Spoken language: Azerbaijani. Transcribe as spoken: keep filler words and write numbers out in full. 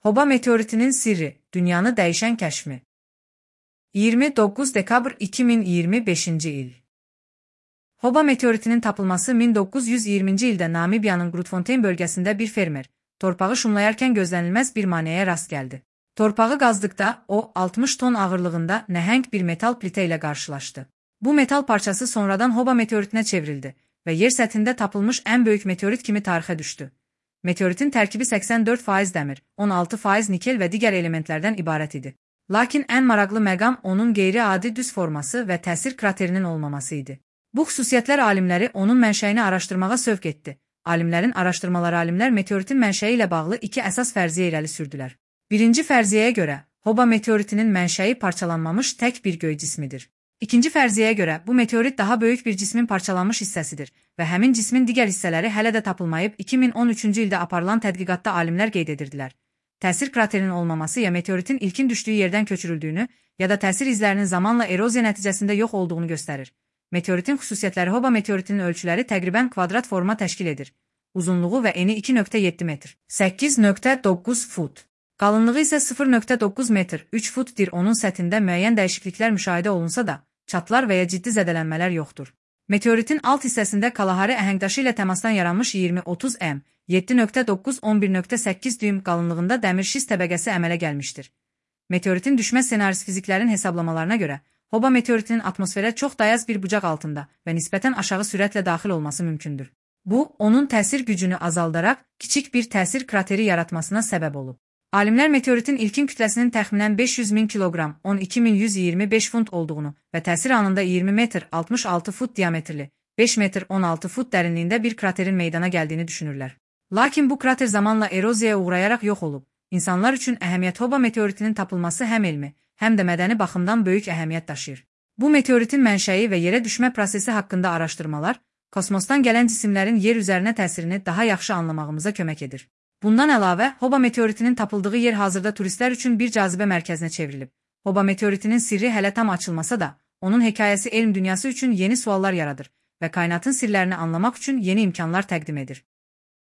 Hoba meteoritinin sirri, dünyanı dəyişən kəşfi. iyirmi doqquz dekabr iki min iyirmi beşinci il. Hoba meteoritinin tapılması min doqquz yüz iyirminci ildə Namibiyanın Grootfontein bölgəsində bir fermer, torpağı şumlayarkən gözlənilməz bir maneəyə rast gəldi. Torpağı qazdıqda o, altmış ton ağırlığında nəhəng bir metal plitə ilə qarşılaşdı. Bu metal parçası sonradan Hoba meteoritinə çevrildi və yer səthində tapılmış ən böyük meteorit kimi tarixə düşdü. Meteoritin tərkibi səksən dörd faiz dəmir, on altı faiz nikel və digər elementlərdən ibarət idi. Lakin ən maraqlı məqam onun qeyri-adi düz forması və təsir kraterinin olmaması idi. Bu xüsusiyyətlər alimləri onun mənşəyini araşdırmağa sövq etdi. Alimlərin araşdırmaları alimlər meteoritin mənşəyi ilə bağlı iki əsas fərziyyə irəli sürdülər. Birinci fərziyyəyə görə, Hoba meteoritinin mənşəyi parçalanmamış tək bir göy cismidir. İkinci fərziyyəyə görə, bu meteorit daha böyük bir cismin parçalanmış hissəsidir və həmin cismin digər hissələri hələ də tapılmayıb iki min on üçüncü ildə aparılan tədqiqatda alimlər qeyd edirdilər. Təsir kraterinin olmaması ya meteoritin ilkin düşdüyü yerdən köçürüldüyünü, ya da təsir izlərinin zamanla eroziya nəticəsində yox olduğunu göstərir. Meteoritin xüsusiyyətləri Hoba meteoritinin ölçüləri təqribən kvadrat forma təşkil edir. Uzunluğu və eni iki nöqtə yeddi metr, səkkiz nöqtə doqquz fut. Qalınlığı isə sıfır nöqtə doqquz metr, üç futdir. Onun səthində müəyyən dəyişikliklər müşahidə olunsa da, çatlar və ya ciddi zədələnmələr yoxdur. Meteoritin alt hissəsində Kalahari əhəngdaşı ilə təmasdan yaranmış iyirmi otuz m, yeddi nöqtə doqquz on bir nöqtə səkkiz düym qalınlığında dəmir şist təbəqəsi əmələ gəlmişdir. Meteoritin düşmə ssenarisi fiziklərin hesablamalarına görə, Hoba meteoritinin atmosferə çox dayaz bir bucaq altında və nisbətən aşağı sürətlə daxil olması mümkündür. Bu, onun təsir gücünü azaldaraq kiçik bir təsir krateri yaratmasına səbəb olub. Alimlər meteoritin ilkin kütləsinin təxminən beş yüz min kiloqram, on iki min yüz iyirmi beş funt olduğunu və təsir anında iyirmi metr, altmış altı fut diametrli, beş metr, on altı fut dərinliyində bir kraterin meydana gəldiyini düşünürlər. Lakin bu krater zamanla eroziyaya uğrayaraq yox olub. İnsanlar üçün əhəmiyyət Hoba meteoritinin tapılması həm elmi, həm də mədəni baxımdan böyük əhəmiyyət daşıyır. Bu meteoritin mənşəyi və yerə düşmə prosesi haqqında araşdırmalar, kosmosdan gələn cisimlərin yer üzərinə təsirini daha yaxşı anlamağımıza kömək edir. Bundan əlavə, Hoba meteoritinin tapıldığı yer hazırda turistlər üçün bir cazibə mərkəzinə çevrilib. Hoba meteoritinin sirri hələ tam açılmasa da, onun hekayəsi elm dünyası üçün yeni suallar yaradır və kainatın sirlərini anlamaq üçün yeni imkanlar təqdim edir.